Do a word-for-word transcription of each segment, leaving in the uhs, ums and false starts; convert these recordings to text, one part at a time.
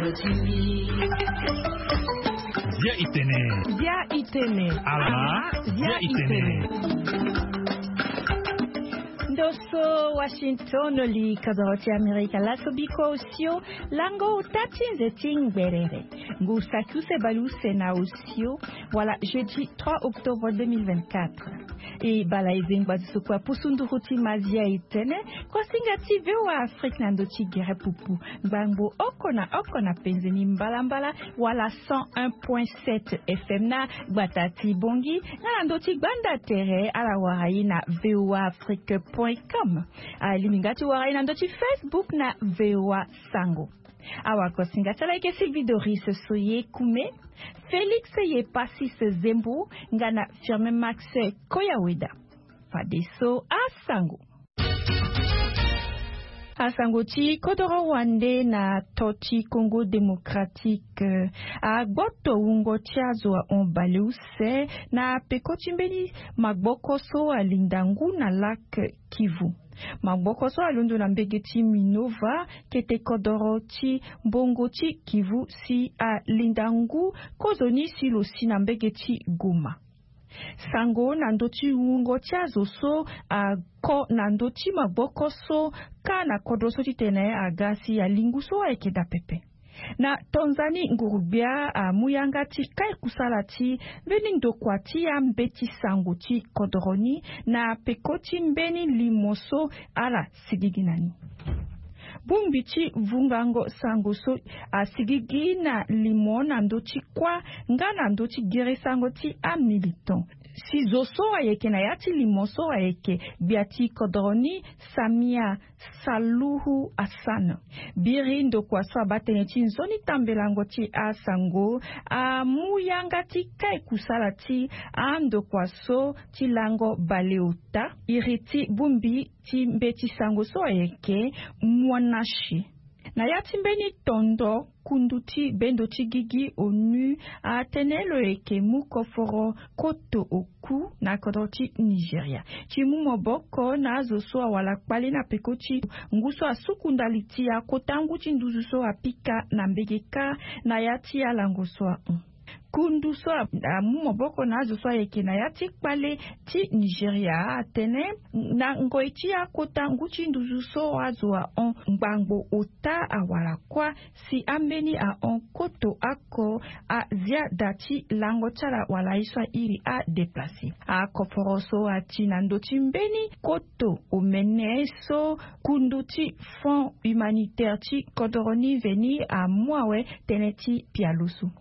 Bia itene. Bia itene. Ala. Bia itene. Ndo so Washington, li kodoro ti Amerika laso biko osio lango ota ti nze ti ngberere. Ngu saki use baleuse na osio wala jeudi trois octobre deux mille vingt-quatre. E bala e zengba ti sukua pusu nduru ti mazia e tene. Kosinga ti VOA Afrique na ndo ti gere pupu. Ngbangbo oko na oko na penze ni mbalambala wala cent un point sept F M na gbata ti Bongi, nga na ndo ti gbanda tere ala wara ye na V O A Afrique point com. Alingbi nga ti wara ye na ndo ti Facebook na V O A Sango. Awa kosinga ti ala eke Sylvie Doris Soye Kume, Félix Yepasis Zembo, nga na Firmin Max Koyaweda. Fadeso asango. Asango ti kodoro wande na to ti Congo Démocratique. Agboto wungo ti azo ahon baleuse na peko ti mbeni magboko so alinda ngu na lac Kivu. Magboko so alondo na mbege ti Minova, kete kodoro ti mbongo ti Kivu, si alinda ngu kozoni si lo si na mbege ti Goma. Sango na ndö ti wungo ti azo so ako na ndö ti maboko so, kâ na kodro so titene aga si alingu so ayeke daa pepe. Na tonza ni nguru-gbia amu yanga ti kai kusala ti mbeni ndokua ti ambeti sango ti kodoro ni na peko ti mbeni limo so ala sigigi na ni. Bongbi ti vungango sango so asigigi na limo na ndö ti kuâ nga na ndö ti gere sango ti amilitant. Si zo so ayeke na ya ti limo so ayeke gbia ti kodoro ni Samia Saluhu Hassan. Biri ndokua so abaa tënë ti nzoni tambelango ti asango amu yanga ti kai kusala ti andokua so ti lango baleota. Iri ti bongbi ti mbeti sango so ayeke Mwanashi. Na ya ti mbeni tondo, kundu ti bendo ti gigi onu atene lo yeke mu koforo koto oku na kodro ti Nigeria ti mu maboko na azo so awara kpale na peko ti ngu so asuku ndali ti akota ngu ti nduzu so apika na mbege kâ na ya ti alango so ahon. Kundu so a- amu maboko na azo so ayeke na ya ti kpale ti Nigeria atene na ngoi ti akota ngu ti nduzu so azo ahon ngbangbo ota awara kuâ, si ambeni ahon koto ako azia da ti lango ti ala wala aye so airi adeplace. Akoforo so ati na ndö ti mbeni koto omene so kundu ti Fonds humanitaire ti kodoro ni veni amu awe tënë ti pialo so.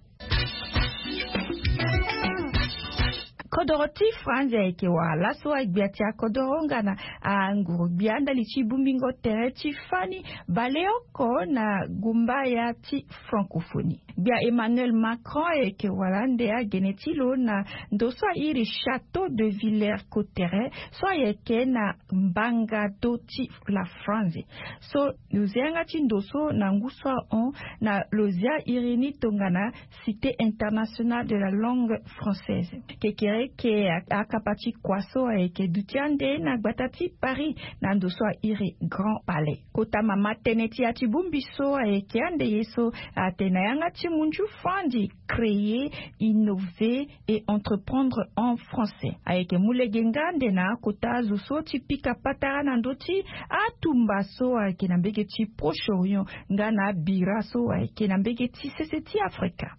Kodoro ti Franzi ayeke wara laso agbia ti akodoro nga na anguru gbia ndali ti bongbingo tere ti fani baleoko na gumbaya ti francophonie. Gbia Emmanuel Macron ayeke wara ande agene ti lo na ndo so airi Château de Villers Cotterêts so ayeke na mbanga do ti la France. So lo zia yanga ti ndo so na ngu so ahon na lo zia iri ni tongana Cité internationale de la langue française. Kekereke a- akapa ti kua so ayeke duti ande na gbata ti Paris na ndo so airi Grand Palais. Kota mama tënë ti ya ti bongbi so ayeke ande ye so atene na yanga ti munzu Franzi créer, innover et entreprendre en français. Ayeke mu lege nga ande na akota azo so ti pika patara na ndö ti atumba so ayeke na mbege ti Proche-Orient nga na abira so ayeke na mbege ti sese ti Afrika.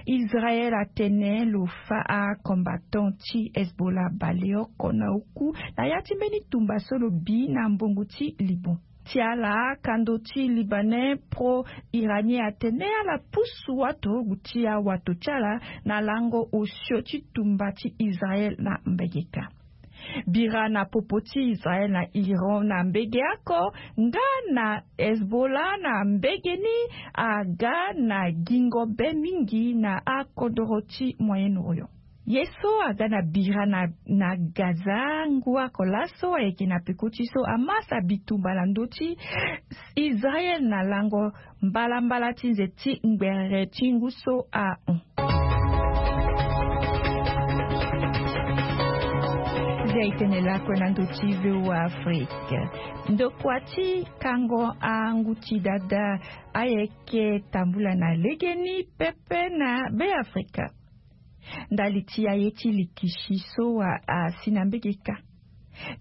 Israël atene lo fâ acombattant ti Hezbollah baleoko na oku na ya ti mbeni tumba so lo bi na mbongo ti Liban. Ti ala akando ti Libanais pro-iranien atene ala pusu watorogu ti awato ti ala na lango osio ti tumba ti Israël na mbege kâ. Bira na popo ti Israël na Iran na mbege oko nga na Hezbollah na mbege ni aga na gingo be mingi na akodoro ti Moyen-Orient. Ye so aga na bira na, na Gaza ngu oko laso ayeke na peko ti so Hamas abi tumba na ndö ti Israël na lango mbalambala ti nze ti ngberere ti ngu so ahon. Etene lakue na ndo ti V O A Afrique. Ndokua ti kango angu ti dada ayeke tambula na legeni pepe na Beafrika. Ndali ti aye ti likisi so asi na mbege kâ.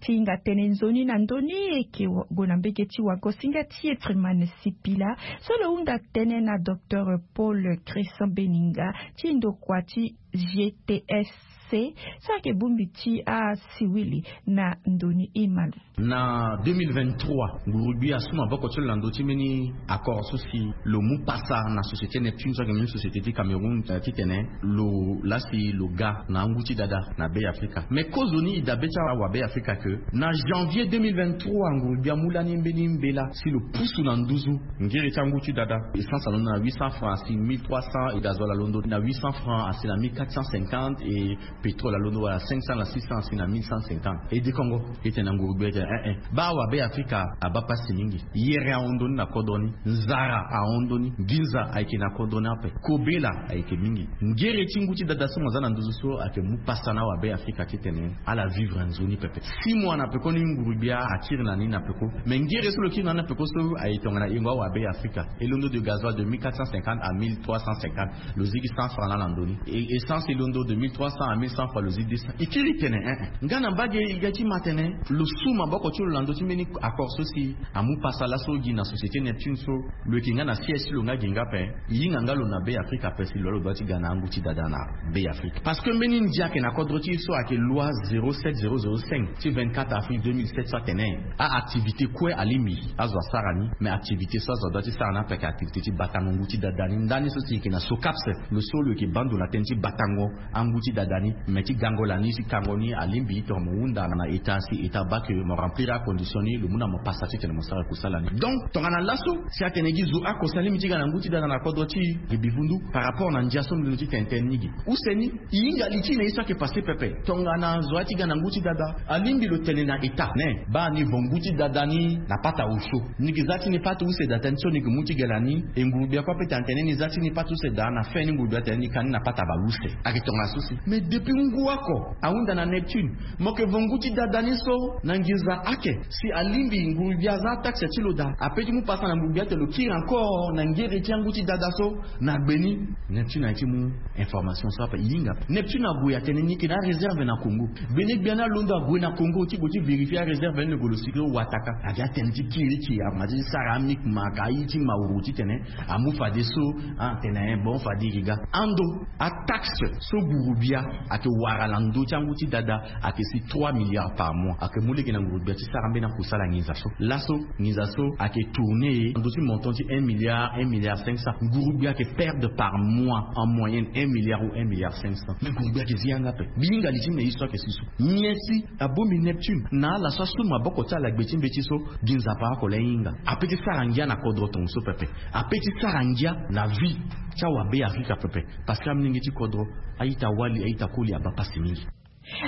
Ti hinga tene nzoni na ndö ni eke gue na mbege ti wagosinga ti Efriman Sipila so lo hunda tënë na docteur Paul Christian Beninga ti ndokua ti G T S C so ayeke bongbi ti asiwili na ndö ni. Imalo. Na deux mille vingt-trois, nguru-gbia asu maboko ti lo na ndö ti mbeni accord so si lo mu pasa na société Neptune so ayeke mbeni société ti Cameroun, eh, titene lo lasi lo ga na angu ti dada na Beafrika. Mais kozoni e dabe ti awabeafrika ke na janvier deux mille vingt-trois nguru-gbia amu lani mbeni mbela si lo pusu na nduzu ngiri ti angu ti dada. Essence alondo na huit cents francs asi mille trois cents, e gasoil alondo na huit cents francs asi na mille quatre cent cinquante, e pétrole alondo wala cinq cents na six cents asi na mille cent cinquante. E dekongo, e tene na nguru-gbia e tene eh eh, baa awabeafrika abaa pasi mingi. Yere ahon ndoni na kodro ni, nzara ahon ndoni, nginza ayeke na kodro ni ape, kobela ayeke mingi. Ngere ti ngu ti dada so mo za na nduzu so ayeke mu pasa na awabeafrika titene ala vivre nzoni pepe. Six mois na peko ni nguru-gbia akiri na ni na peko. Mais ngere so lo kiri na ni na peko so aye tongana yengo awabeafrika. E londo de gasoil de mille quatre cent cinquante à mille trois cent cinquante. Lo zigi cent francs laa na ndö ni. E, essence e londo de mille trois cents à mille cent francs, lo zi deux cents. E kiri tene eh eh, nga na mbage e ga ti ma tene lo su maboko ti lo na ndö ti mbeni accord so si amu pasa laso gi na société Neptune so lo yeke nga na siège ti lo nga gi nga ape. E hinga nga lo na Beafrika ape si lo laa lo doit ti ga na angu ti dada na Beafrika. Parce que mbeni ndia ayeke na kodro ti e so ayeke loi zéro sept zéro zéro cinq ti vingt-quatre avril deux mille sept so atene aactivité kue alingbi azo asara ni, mais activité so azo adoit ti sara ni ape ayeke activité ti batango ngu ti dada ni. Ndani so si e yeke na SOCAPS, lo so lo yeke baa ndo na tënë ti batango angu ti dada ni, me ti gango lani ti kango ni alingbi tongana mo hunda na état si état abaa ke mo remplir acondition ni, lo mu na mo pasa titene mo sara kusala ni. Donc tongana laso si atene gi zo oko si alingbi ti ga na ngu ti dada na kodro ti e, gi bivundu par rapport na ndia so mbi londo ti tene tënë ni gi. Use ni, e hinga li ti na ye so ayeke passé pepe. Tongana zo aya ti ga na ngu ti dada, alingbi lo tene na état ni, baa ni vo ngu ti dada ni na pata osio. Ni yeke za ti ni pata use daa tënë so ni yeke mu ti gala ni, e nguru-gbia kue ape tene atene ni za ti ni pata use daa, na fin ni nguru-gbia atene ni ka ni na pata bale use. Ayeke tongana so si. Mais depuis ngu oko ahunda na Neptune, mo yeke vo ngu ti dada ni so na nginza ayeke si alingbi nguru-gbia aza ataxe ti lo daa, ape ti mu pasa na nguru-gbia ate lo kiri encore na ngere ti angu ti dada so na gbe ni. Neptune aye ti mu information so ape e hinga. Neptune ague atene ni yeke na aréserve na Congo. Gbene gbia ni alondo ague na Congo ti gue ti vérifier aréserve ni, lo gue lo sikiri wataka. Ake atene ti kiri ti aromatisé ti sara amik maka aye ti mauru titene amu fadeso. Atene eh bon, fade e ga ando ataxe so nguru-gbia ayeke wara na ndö ti angu ti dada ayeke si trois milliards par mois. Ayeke mu lege na nguru-gbia ti sara mbeni akusala nginza so. Laso nginza so ayeke tourner na ndö ti montant ti un milliard, un milliard cinq cents. Nguru-gbia ayeke perdre par mois en moyenne un milliard ou un milliard cinq cents. Mais nguru-gbia ayeke zi yanga ape. Mbi hinga li ti me ye so ayeke si so. Nyen si abongbi Neptune na ala so asu maboko ti ala gbe ti mbeti so, gi nzapa oko laa e hinga. Ape ti sara ngia na kodro tongaso pepe. Ape ti sara ngia na vie ti awabeafrika pepe. Parce que amolenge ti kodro, a-ita-wali, a-ita-koli abaa pasi mingi.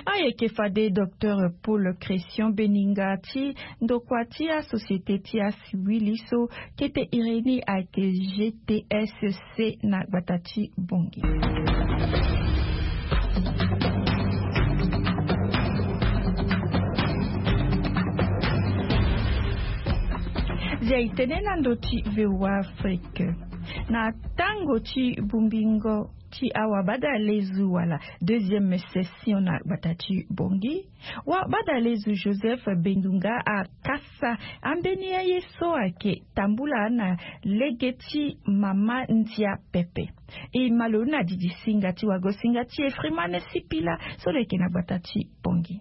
Ayeke fade docteur Paul Christian Beninga ti ndokua ti asociété ti asiwili so kete iri ni ayeke G T S C na gbata ti Bangui. Zia e tene na ndö ti V O A Afrique. Na tango ti bongbingo ti awabadalezo wala deuxième session na gbata ti Bangui, wabadalezo Joseph Bendunga akasa ambeni aye so ayeke tambula na lege ti mama ndia pepe. E ma lo na didi singa ti wagosinga ti e Freeman Sipila so lo yeke na gbata ti Bangui.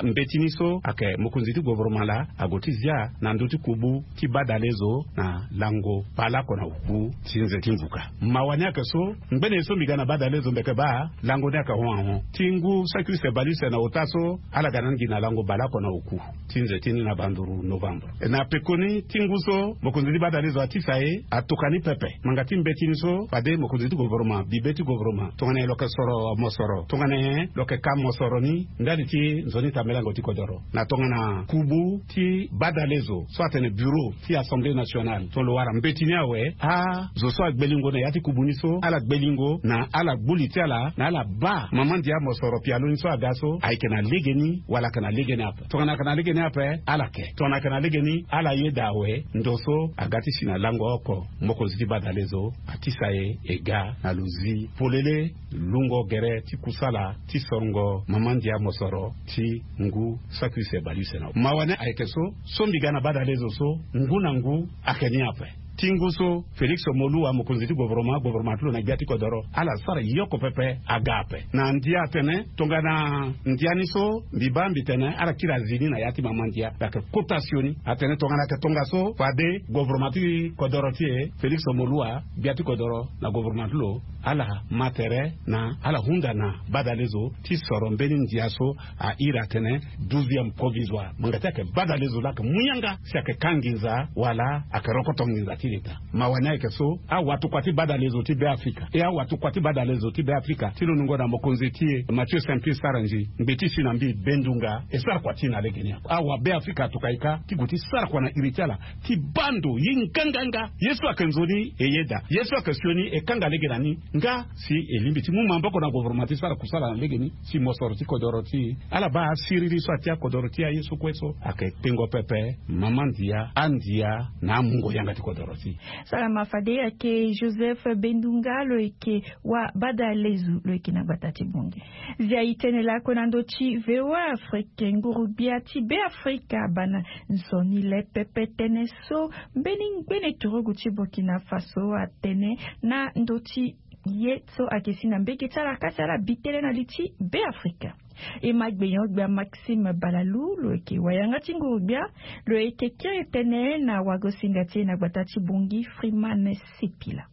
Mbeti ni so ayeke mokonzi ti gouvernement laa ague ti zia na ndö ti kubu ti badalezo na lango baleoko na oku ti nze ti mvuka. Mawa ni ayeke so ngbene ye so mbi ga na badalezo mbi yeke baa lango ni ayeke hon ahon. Ti ngu saki use bale use na ota so ala ga na ni gi na lango baleoko na oku ti nze ti ni na banduru novembre. Na pekoni ti ngu so mokonzi ti badalezo atisa e atokua ni pepe. Ngbanga ti mbeti ni so fade mokonzi ti gouvernement, bibe ti gouvernement, tongana nyen lo yeke soro mosoro, tongana nyen lo yeke ka mosoro ni ndali ti nzoni ti Melango ti kodoro na tongana kubu ti badalezo so atene bureau ti assemblée nationale so lo wara mbeti ni awe. Azo so agbelingo na ya ti kubu ni so ala gbelingo na ala gbuli ti ala na ala baa mama ndia mosoro pialo ni so aga so ayeke na legeni wala ayeke na legeni ape. Tongana ayeke na legeni ape ala ke, tongana ayeke na legeni ala yeda awe ndo so aga ti si na lango oko. Mokonzi ti badalezo atisa e e ga na lo zi polele lungo gere ti kusala ti sorongo mama ndia mosoro ti ngu saki use baleuse na mawa ni ayeke so. So mbi ga na badalezo so ngu na ngu ayeke ni ape. Ti ngu so félix moluwa mokonzi ti govoroma govoroma ti lo na gbia ti kodoro ala sara yoko pepe aga ape na ndia atene tongana ndia ni so mbi baa mbi tene ala kiri azi ni na ya ti mama ndia mbi ayeke kota sioni atene tongana ayeke tongaso fade govoroma ti kodoro ti e félix moluwa gbia ti kodoro na govoroma ti lo ala ma tere na ala hunda na badalezo ti soro mbeni ndia so ahiri atene douzième provisoire manga ti ayeke badalezo laa ayeke mu yanga si ayeke ka nginza wala ayeke rokoto nginza ti leta. Mawa ni ayeke so awatukua ti badalezo ti be afrika e awatukua ti badalezo ti be afrika ti lo nungo na mokonzi ti e mathieu simplice sarangi ngbe ti si na mbi bendunga e sara kua ti e na legeni awa be afrika atuka e ka ti gue ti sara kua na iri ti ala ti baa ndo ye nganganga ye so ayeke nzoni e yeda ye so ayeke sioni e kanga lege na ni nga si e lingbi ti mu maboko na govoroma ti sara kusala na legeni si mosoro ti kodoro ti e ala baa asiriri so atia kodoro ti e aye so kue so ayeke tengo pepe mama ndia andia na amungo yanga ti kodoro ti e. Salama fade ayeke joseph bendunga lo yeke wa badalezu lo yeke na gbata ti bongi. Zia itene lako na ndo ti voa afrike nguru-gbia ti be afrika abana nzoni le pepe tënë so mbeni ngbene turugu ti burkina faso atene na ndo ti ye so ayeke si na mbege ti ala kasi ala bi tënë na li ti be afrika. E ma gbenyo-gbia maxime balalou lo yeke wayanga ti nguru-gbia lo yeke kiri tënë na wagosinga ti e na gbata ti bongi freeman sipila.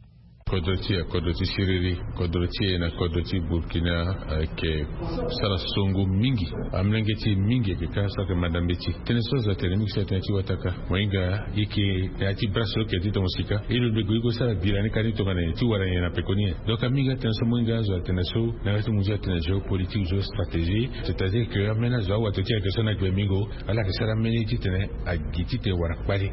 Kodro ti e kodro ti siriri kodro ti e na kodro ti burkina ayeke sara songo mingi. Amolenge ti e mingi ayeke ka so ayeke manda mbeti tënë so azo atene mingi so atene ti wataka mo hinga ye yeke na ya ti brase so yeke ti tongo sika ye lo lego ye go sara bila ni ka ni tongana nyen ti wara nyen na peko ni nyen. Donc amingi atene so mo hinga azo atene so na ya ti mo nzi atene géopolitique géostratégie c'est à dire que ameni azo awato ti ayeke so na gbe mingo ala yeke sara ameni titene agi titene wara kpali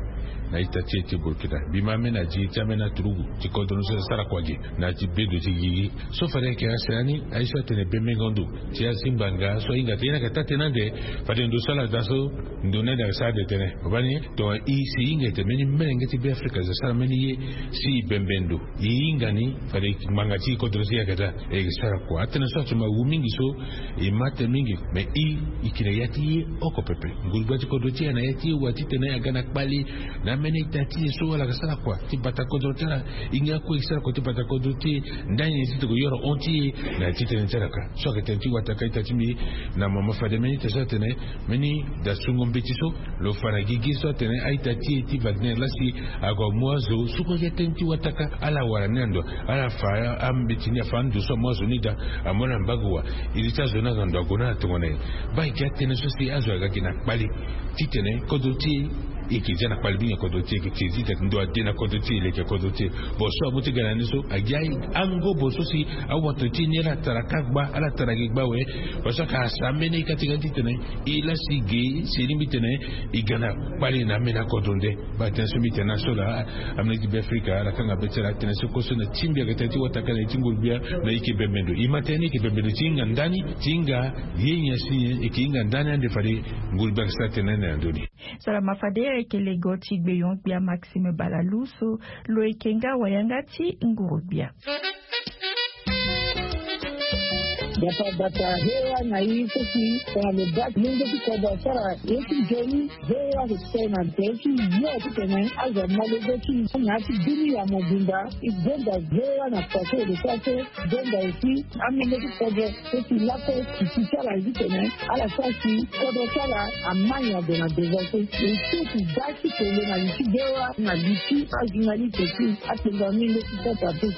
na ita ti e ti burkina. Mbi ma ameni adi ti ameni aturugu ti kodro ni so asara kua gi na ya ti bedo ti gigi so fade ayeke asere ni aye so atene bembengo ndo ti azingbanga so ahinga te ye ni ayeke taa tënë ande. Fade ndo so ala daa so ndo ni ande ayeke sara ande tënë obani tonga i si hinga ete mbeni melenge ti be afrika zo asara mbeni ye si i bembe ndo i hinga ni fade ngbanga ti i kodro ti i ayeke daa. E yeke sara kua atënë so atuma wu mingi so e ma tënë mingi. Me i i ke na ya ti ye oko pepe nguru-gbia ti kodro ti e na ya ti ye wa titene aga na kpali na ambeni ita ti e so ala yeke sara kua ti bata kodro ti ala. I nga kue e sara kua ti bata kodro ti e ndani nyen ti toko yoro hon ti e na ya ti tënë ti ala ka so ayeke tënë ti wataka ita ti mbi na mama fade mbeni ita so atene mbeni dasungo mbeti so lo fa na gigi so atene a-ita ti e ti wagner lasi ague amu azo so kue agia tënë ti wataka ala wara ni na ndo ala fa ambeti ni afa ando so amu azo ni daa amu ala na mbagu wa. Iri ti azo ni aga ndo ague ni ala tongana nyen? Baa e ga tënë so si azo aga gi na kpali titene kodro ti e e yeke zia na kpali mingi na kodro ti e e yeke tiri ti tene ndo ade na kodro ti e e leke kodro ti e. Bon so amu ti ga na ni so agia angobo so si awato ti e ni ala tara ka gba ala tara gi gba awe. Parce que asa ambeni ka ti ga ni titene e lasi ge si e lingbi titene e ga na kpali na ambeni akodro nde. Baa tënë so mbi tene na so laa ameni ti be afrika ala kanga be ti ala atene so kue so na ti mbi ayeke tënë ti wataka na ye ti nguru-gbia. Na e yeke bembe ndo e ma tënë ni e yeke bembe ndo ti hinga ndani ti hinga ye nyen si nyen e yeke hinga ndani ande fade nguru-gbia ayeke sara tënë ande na ndoni. Salama fade ayeke lego ti gbeyon-gbia maxime balalou so lo yeke nga wayanga ti nguru-gbia. Gbata gbata he wa na i so si tongana lo baa ti lenge ti kodro asara ye ti nzoni. He wa so si tongana lo tene ti yo titene azo amu alege ti i na ya ti bini ya mobimba. I gonda he wa na kua so e lo sara so. Gonda aussi amenge ti kodro so si lakue si ti ti ala ye titene ala sara si kodro ti ala ama nyen ague na devant so. E so si baa ti kele na li ti he wa na li ti ajournaliste ti atengo amenge ti sata pe.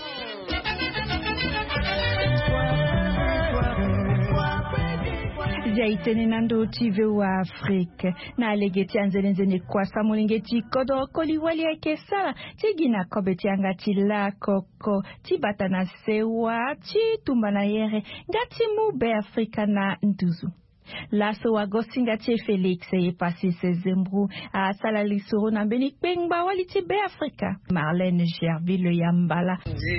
Zia e tene na ndo ti voa afrique na lege ti anzenenzene kua sa molenge ti kodro koli wali ayeke sara ti gi na kobe ti yanga ti lakoko ti bata na sewa ti tumba na yere nga ti mu be afrika na nduzu. Laso wagosinga ti e Félix e pasi sezembru asala lisoro na mbeni kpengba wali ti Beafrika, Marlène Gerville Yambala.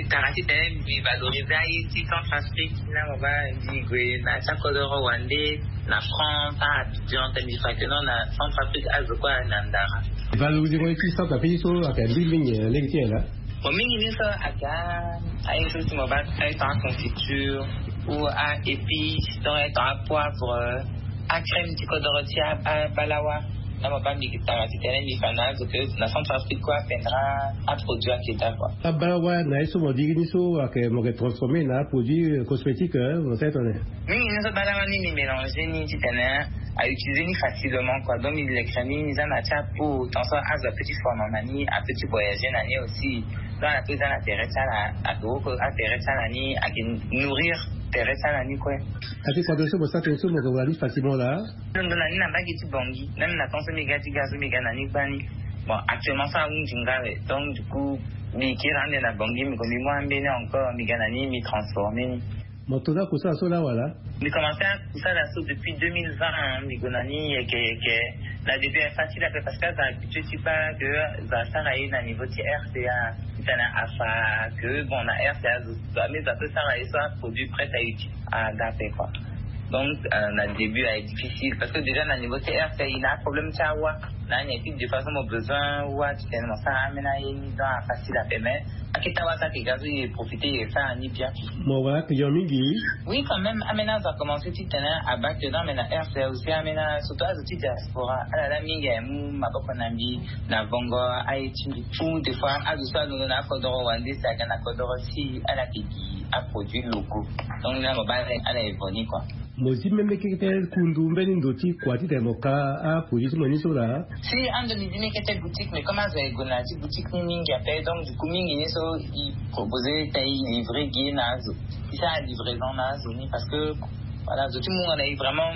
Tara titene mbi valoriser aye ti Centrafrique na mo baa mbi gue na ti akodoro wande na France, a Abidjan, titene mbi fa que non, na Centrafrique azo kue na ndara. Valoriser mo ye ti Centrafrique so ayeke mbi mingi na lege ti nyen laa? Bon, mingi ni so ayeke aye so ti mo baa aye tongana aconfiture ou a épice, donc aye tongana apoivre, acrème ti kodoro ti abalawa. Na mo baa mbi tara titene mbi fa na azo que na Centrafrique kue apendra aproduit ayeke daa kua. Abalawa na ye so mo diri ni so ayeke mo yeke transformer na aproduit cosmétique, mo sara tongana nyen? Mingi ni so balawa ni mbi mélanger ni titene a utiliser ni facilement kua. Donc mbi leke ni mbi za na ti apo, tant so azo apeut ti fono na ni, apeut ti voyager na ni aussi. Donc ala peut za na tere ti ala, ake woko atere ti ala ni, ake nourrir tere ti ala ni kue. Ake kua so mo sara tene so mo yeke wara ni facilement laa? Ndo na ni na mbage ti Bangui, même na temps so mbi ga ti ga so mbi ga na ni gbani. Bon, actuellement so ahunzi nga awe, donc du coup mbi kiri ande na Bangui, mbi ko mbi mu ambeni encore, mbi ga na ni mbi transformer ni. Mo to na kusala so laa wala? Mbi commencer akusala so depuis deux mille vingt, hein, mbi gue na ni yeke yeke. Na début ayeke facile ape parce que azo habitué ti baa que zo asara ye na niveau ti R C A. Titene afa que bon na R C A zo, zo ame zo apeut sara ye so aproduit prêt à utiliser aga ape kua. Donc euh, na début ayeke difficile parce que déjà na niveau ti R C A e na aproblème ti awa. Na ni ayeke ti de façon mo besoin wa titene mo sara ambeni aye ni, donc afacile ape, mais akita wa so ayeke ga so e profiter e sara ni bien. Mo wara client mingi? Oui, quand même, ambeni azo akomencer titene abaa que non, mais na R C A aussi ambeni, surtout azo ti diaspora, ala laa mingi aye mu maboko na mbi na vongo aye ti mbi. Ou des fois azo so alondo na akodoro wande si aga na kodoro ti ala yeke gi aproduit locaux. Donc na mo baa ala evo ni kua. Mo zi même kete kundu mbeni ndo ti kua titene mo ka aproduit ti mo ni so laa? Si, ando mbi zi mbi kete boutique, mais comme azo aye gue na ya ti boutique ni mingi ape, donc du coup mingi ni so i proposer titene i livrer gi na azo, i sara livraison na azo ni parce que voilà, zo ti mungo na i vraiment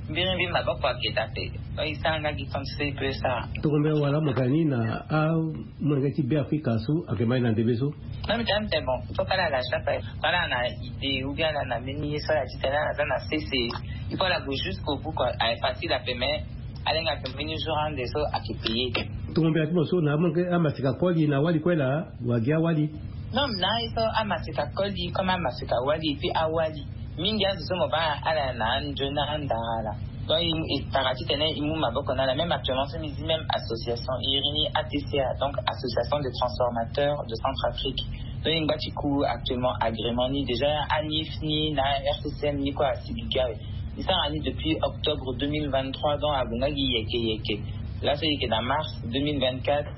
mbirimbiri maboko aketa ape. Donc i sara nga gi temps so i peut sara. Tongombe wala mo ka ni na amolenge ti Beafrika so ayeke mai na ndembe so? Non, mbi tene mbi tene bon, il faut kala ala chaque fois kala na idée ou bien ala na mbeni ye so ala titene ala za na sese. Il faut ala gue jusqu'au bout kua. Ayeke facile ape, mais alenga ayeke mbeni jour ande so ayeke payer. Tongombe ati mo so na amaseka koli na wali kue laa? Wagi awali. Non, na ye so amaseka koli comme amaseka wali et puis awali. Mingi azo so mo baa ala na anzoni na andara ala. Donc i tara titene i mu maboko na ala. Même actuellement so mbi zi même association iri ni A T C A, donc association des transformateurs de Centrafrique. Donc i ngba ti ku actuellement agrément ni, déjà anif ni na R C C M ni kue asigi gi awe. I sara ni depuis octobre deux mille vingt-trois, donc ague nga gi yeke yeke. Laso yeke na mars deux mille vingt-quatre.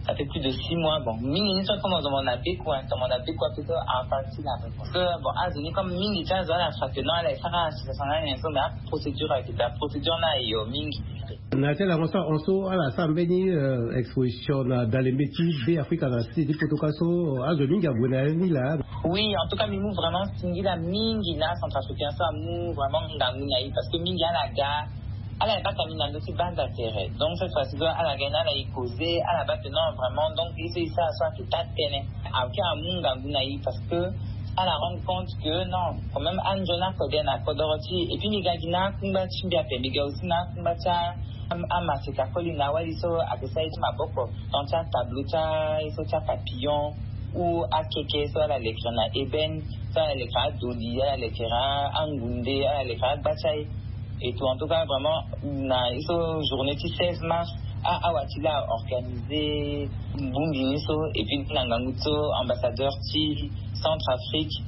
Ça fait plus de six mois. Bon, mingi ni so comme mo zo mo na beku, hein, mo na beku ape so afa ti na ape. Parce que bon, azo ni comme mingi ti azo ala fa que non, ala e sara association na nyen so, mais aprocédure ayeke daa, procédure ni ayo mingi. Na ti ala mo so ahon so ala sara mbeni exposition na dalembe ti Beafrika na site ti Potoka so, azo mingi ague na ya ni laa? Oui, en tout cas mbi mu vraiment singila mingi na acentrafricain so amu vraiment ngangu na i, parce que mingi ala ga, ala e baka mbi na ndö ti banza tere. Donc cette fois-ci so ala ga ni, ala e causer, ala baa que non vraiment, donc ye so e sara so ayeke taa tënë. Ayeke amu ngangu na i parce que ala rendre compte que non, quand même anzoni akode na kodoro ti e. Et puis mbi ga gi na akungba ti mbi ape, mbi ga aussi na akungba ti a, amaseka koli na awali so ayeke sara ye ti maboko, tant ti atableau ti aye so ti apapillon ou akeke so ala lekere na ébène, so ala lekere adoli, ala lekere angunde, ala lekere agba ti aye. Et tout, en tout cas vraiment na ye so journée ti seize mars, a awa ti la aorganiser bongbi ni so, et puis na ngangu ti so ambassadeur ti Centrafrique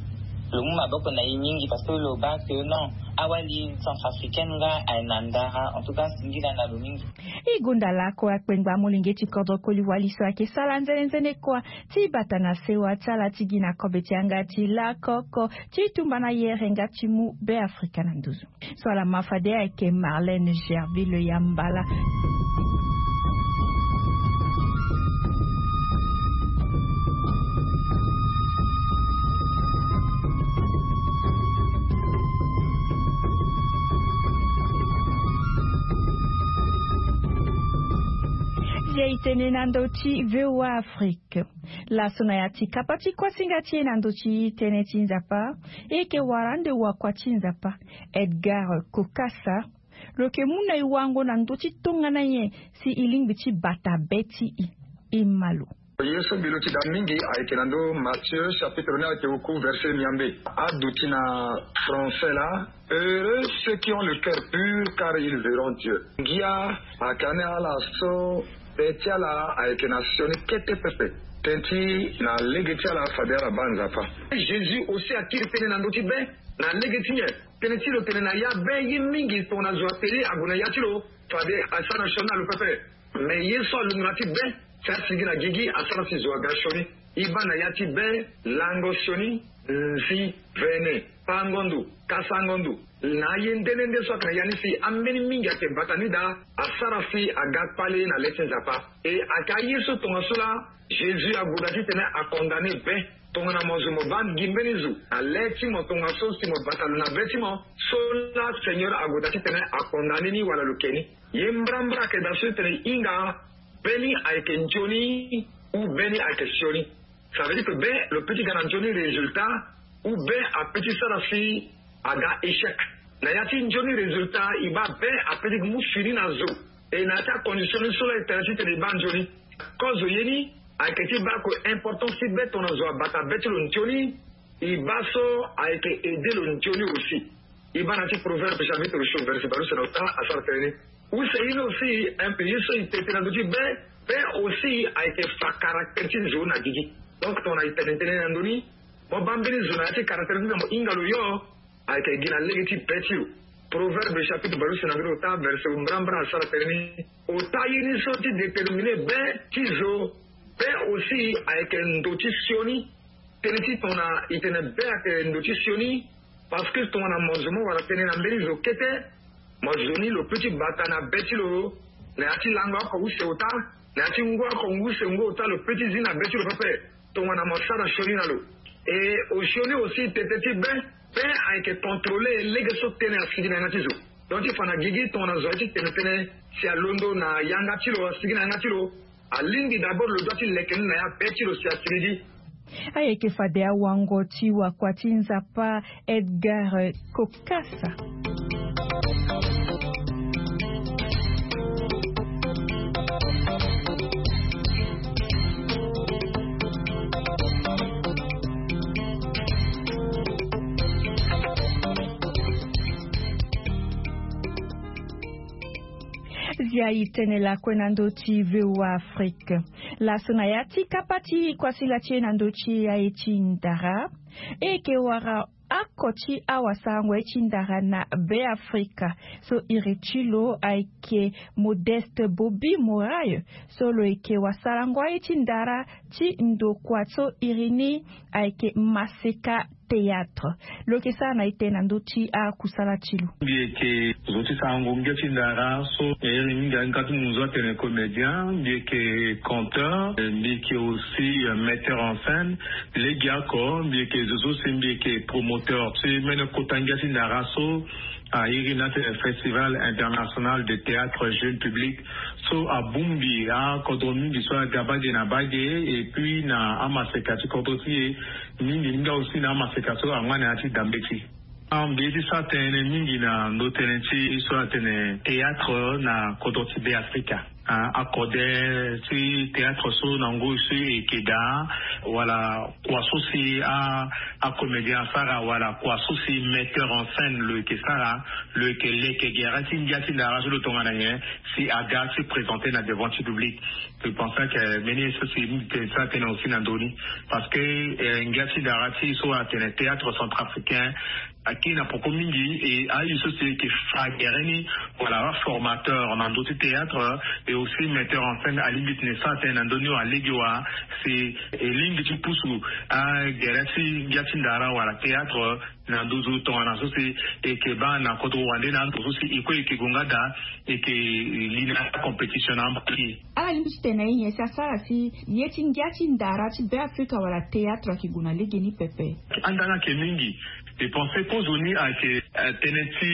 lo mu maboko na e mingi, parce que lo baa que non, awali centrafricaine nga aye na ndara. En tout cas singila na lo mingi. E gonda lakue akpengba molenge ti kodro koli wali so ayeke sara nzene nzene kua ti bata na sewa ti ala ti gi na kobe ti yanga ti lakoko ti tumba na yere nga ti mu Beafrika na nduzu. So ala ma fade ayeke Marlène Gerville Yambala. Ye e tene na ndö ti V O A Afrique. Laso na ya ti kapa ti kuasinga ti e na ndö ti tënë ti Nzapa, e yeke wara ande wakua ti Nzapa, Edgar Kokasa, Lo yeke mu na e wango na ndö ti tongana nyen si e lingbi ti bata be ti e? E ma lo. Ye so mbi luti daa mingi ayeke na ndö Matthieu chapitre ni ayeke oku verset miambe. Aduti na français laa: Heureux ceux qui ont le cœur pur, car ils verront Dieu. Ngia ayeke ane ala so be ti ala ayeke na sioni kete pepe. Tënë ti na lege ti ala fade ala baa Nzapa. Jésus aussi akiri tënë na ndö ti be na lege ti nyen? Tënë ti lo tene na ya be ye mingi tongana zo atene ague na ya ti lo fade asara sioni na lo pepe. Me ye so alunga na ya ti be si asigi na gigi asara si zo aga sioni. E baa na ya ti be lango sioni, nzi, vene, pango ndo, kasango ndo. Na aye nde nde nde so ayeke na ya ni si ambeni mingi ayeke bata ni daa asara si aga kpale na le ti Nzapa. E ayeke aye so tongaso laa Jésus ague daa titene acondamne be. Tongana mo zo mo baa gi mbeni zo na le ti mo tongaso si mo bata lo na be ti mo, so laa Seigneur ague daa titene acondamne ni wala lo ke ni. Ye mbrambra ayeke daa so ti tene hinga be ni ayeke nzoni ou be ni ayeke sioni. Ça veut dire que be lo peut ti ga na nzoni résultat ou be apeut ti sara si aga échec. Na ya ti nzoni résultat e baa be apeut ti mu fini na zo. E na ya ti acondition ni so laa e tene titene e baa nzoni. Kozo ye ni ayeke ti baa ko importance ti be tongana zo abata be ti lo nzoni. E baa so ayeke aide lo nzoni aussi. E baa na ya ti Proverbe chapitre so verset bale use na ota asara tënë ni. Use ye ni aussi un peu ye so e tene tënë na ndö ti be. Be aussi ayeke fa caractère ti zo na gigi. Donc tongana e tene tënë na ndö ni, mo baa mbeni zo na ya ti caractère ti na mo hinga lo yo. Ayeke gi na lege ti be ti lo. Proverbe chapitre bale use na mbeni ota verset mbrambra asara tënë ni. Ota ye ni so ti déterminer be ti zo. Be aussi ayeke ndo ti sioni. Tënë ti tongana e tene be ayeke ndo ti sioni. Parce que tongana mo zo mo wara tënë na mbeni zo kete, mo zo ni lo peut ti bata na be ti lo na ya ti lango oko use ota, na ya ti ngu oko ngu use ngu ota lo peut ti zi na be ti lo pepe. Tongana mo sara sioni na lo. E osioni aussi tete ti be, be ayeke contrôler lege so tënë asigi na yanga ti zo. Donc ti fa na gigi tongana zo aye ti tene tënë si alondo na yanga ti lo asigi na yanga ti lo. Alingbi d'abord lo doit ti leke ni na ya be ti lo si asigi gi. Ayeke fade awango ti wakua ti Nzapa Edgar Cocasa. Zia e tene lakue na ndö ti VOA Afrique. Laso na ya ti kapa ti kuasinga ti e na ndö ti aye ti ndara, e yeke wara oko ti awasarango ye ti ndara na Beafrika so iri ti lo ayeke Modeste Bobi Morayo, so lo yeke wasarango aye ti ndara ti ndokua so iri ni ayeke Maseka Théâtre. Lo yeke sara na ete na ndö ti akusala ti lo. Mbi yeke zo ti sarango ngia ti ndara so e iri mingi nga ti munzu atene comédien, mbi yeke conteur, mbi yeke aussi, euh, metteur en scène. Legeoko mbi yeke zo so si mbi yeke promoteur ti mene kota ngia ti ndara so a iri ni atene Festival International de Théâtre Jeune Public, so abongbi akodro mingi so aga bage na bage, et puis na amaseka ti kodro ti e mingi mingi aussi na amaseka so angba na ya ti dambe ti. Ah, mbi ye ti sara tënë mingi na ndo tënë ti so atene théâtre na kodro ti Beafrika. Ah, akode ti théâtre so na ngoi so e yeke daa, wala kua so si a, acomédien asara, wala kua so si metteur en scène lo yeke sara, lo yeke leke gere ti ngia ti ndara so lo tongana nyen si aga ti présenter na devant ti public. Je pense que mbeni ye so si mbi tene sara tënë aussi na ndö ni. Parce que, eh, ngia ti ndara ti so atene théâtre centrafricain, akiri na poko mingi, e aye so si e yeke fa gere ni, wala aformateur na ndö ti théâtre, et aussi metteur en scène alingbi tene sara tënë na ndö ni wa lege wa, si e lingbi ti pusu agere ti ngia ti ndara wala théâtre na nduzu tongana so si e yeke baa na kodro wande na ndo so si e kue e yeke gue nga daa, e yeke li na compétition na amba ti e. Ala lingbi ti tene na e nyen si asara si ye ti ngia ti ndara ti Beafrika wala théâtre ayeke gue na legeni pepe? Anda nga ayeke mingi. E pense kozoni ayeke, eh, tënë ti,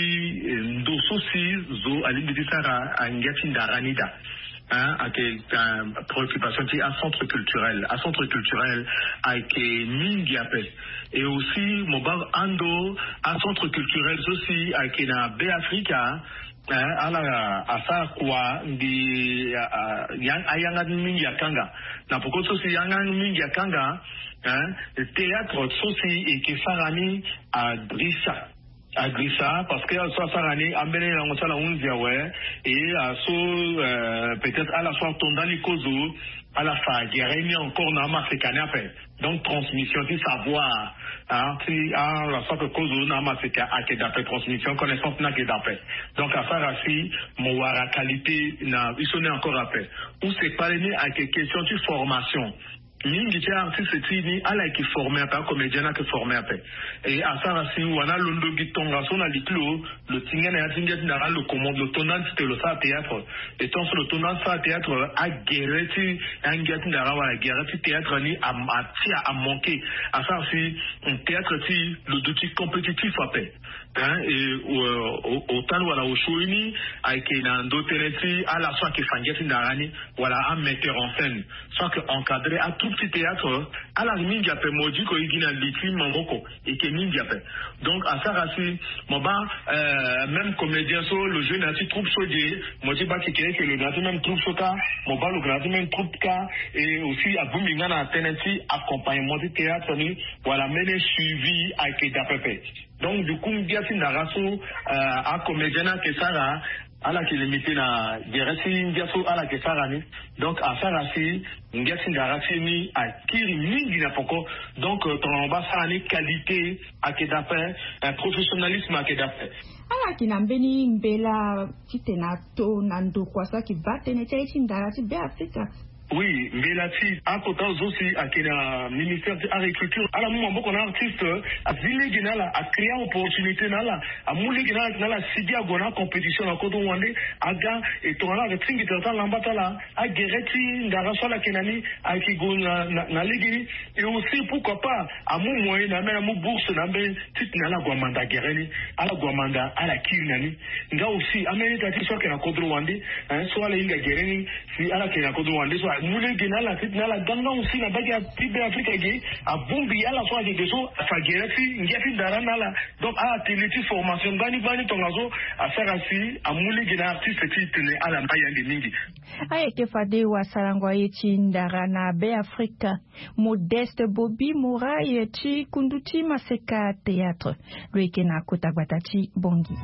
eh, ndo so si zo alingbi ti sara angia ti ndara ni daa. Hein, ayeke, eh, préoccupation ti acentre culturel. Acentre culturel ayeke mingi ape. Et aussi mo baa ando acentre culturel so si ayeke na Beafrika, Ala asara kua mbi ayanga ti mingi akanga. Na poko so si yanga mingi akanga, théâtre so si eke sara ni adrisa adrisa parce que ala so asara ni ambeni lango ti ala hunzi awe. Et aso peut-être ala so atonda ni kozo, ala fa gere ni encore na amaseka ni ape. Donc transmission ti savoir ti ala so ake kozo na amaseka ake dape, transmission connaissance ni ake dape. Donc asara si mo wara qualité na biso ni encore ape. Use kpale ni ake question ti formation. Mingi ti artiste ti ni ala yeke forme ape, acomédien ni ake forme ape. E asara si wana alondo gi tongaso na li ti lo, lo tinga na ya ti ngia ti ndara lo commande lo tonda ni ti te lo sara théâtre. E tongaso lo tonda ni ti sara théâtre, agere ti angia ti ndara wala gere ti théâtre ni atia amanke. Asara si théâtre ti lo duti compétitif ape. Hein, e otali wala osio ini ayeke na ndo tënë ti ala so ayeke fa ngia ti ndara ni wala ametteur en scène so ayeke encadrer atroupe ti théâtre. Ala mingi ape mo diko e gi na li ti maboko eke mingi ape. Donc asara si mo baa même comédien so lo joue na ya ti troupe so ge, mo ti baa kekereke lo na ya ti même troupe so kâ, mo baa lo na ya ti même troupe kâ. Et aussi abongbi nga na tënë ti accompagnement ti théâtre ni wala mbeni suivi ayeke daa pepe. Donc du coup ngia ti ndara so acomédien ni ayeke sara, ala yeke limité na gere ti ngia so ala yeke sara ni. Donc asara si ngia ti ndara ti ni akiri mingi na poko. Donc tongana mo baa sara ni qualité ayeke daa pe, professionnalisme ayeke daa pe. Ala yeke na mbeni mbela titene ato na ndokua so ayeke baa tënë ti aye ti ndara ti Beafrika. Oui, mbela ti akota zo si ayeke na ministère ti agriculture, ala mu maboko na artiste, azi lege na ala, acréa opportunité na ala, amu lege na ala, na ala si gi ague na acompétition na kodro wande, aga. E tongana ala yeke tingbi tara ti alamba ti ala, agere ti ndara so ala yeke na ni ayeke gue na, na, na lege ni. Et aussi pourquoi pas amu moyen na ambeni amu bourse na ambeni titene ala gue amanda gere ni, ala gue amanda ala kiri na ni. Nga aussi ambeni ita ti so ayeke na kodro wande, hein, so ala hinga gere ni, si ala yeke na kodro wande so amu lege na ala titene ala ga nga aussi na mbage ti Beafrika ge, abongbi ala so ayeke ge so afa gere ti ngia ti ndara ni na ala. Donc atelier ti formation gbani gbani tongaso asara si amu lege na artiste titene ala ma yande mingi. Ayeke fade wasarango aye ti ndara na Beafrika. Modeste Bobi Mouraye ti kundu ti Maseka Théâtre lo yeke na kota gbata ti Bangui.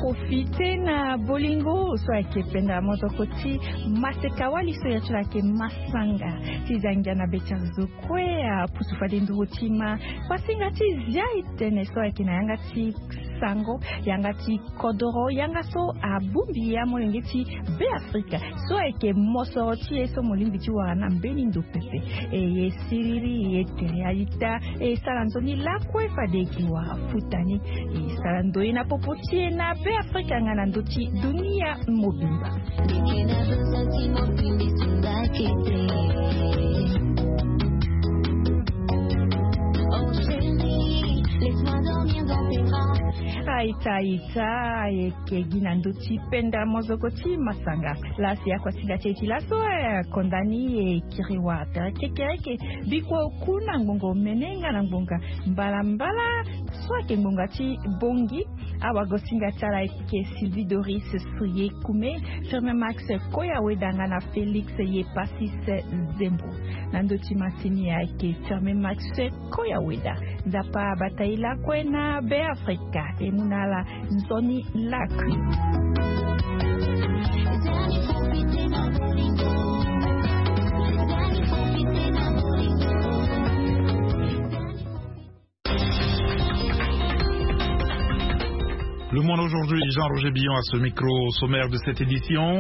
Profite na bolingo so ayeke penda mozoko ti Maseka Wali so ya ti lo ayeke Masanga ti zangia na be ti azo kue apusu fade nduru ti ma. Pasinga ti zia e tene so ayeke na yanga ti sango, yanga ti kodoro, yanga so abongbi amolenge ti Beafrika so ayeke mosoro ti e so mo lingbi ti wara na mbeni ndo pepe. E ye siriri, e tere a-ita, e sara nzoni lakue fade e ke wara futa ni. E sara ndoye na popo ti e na Beafrika nga na ndö ti dunia mobimba. Aita, aita, ayeke gi na ndö ti penda mozoko ti Masanga. Laa si akuasinga ti e ti laso, eh, konda ni e kiri wara tere kekereke. Bikua oku na ngbonga omene nga na ngbonga mbalambala. So ayeke ngbonga ti bongi, awagosinga ti ala ayeke Sylvie Doris Srie Kume, Firmin Max Koya Weda nga na Félix Yepasis Zembo. Na ndö ti masini ayeke Firmin Max Koya Weda. Nzapa abata e lakue na Beafrika e mu na ala nzoni lakui. Le Monde Aujourd'hui, Jean-Roger Billon à ce micro. Au sommaire de cette édition,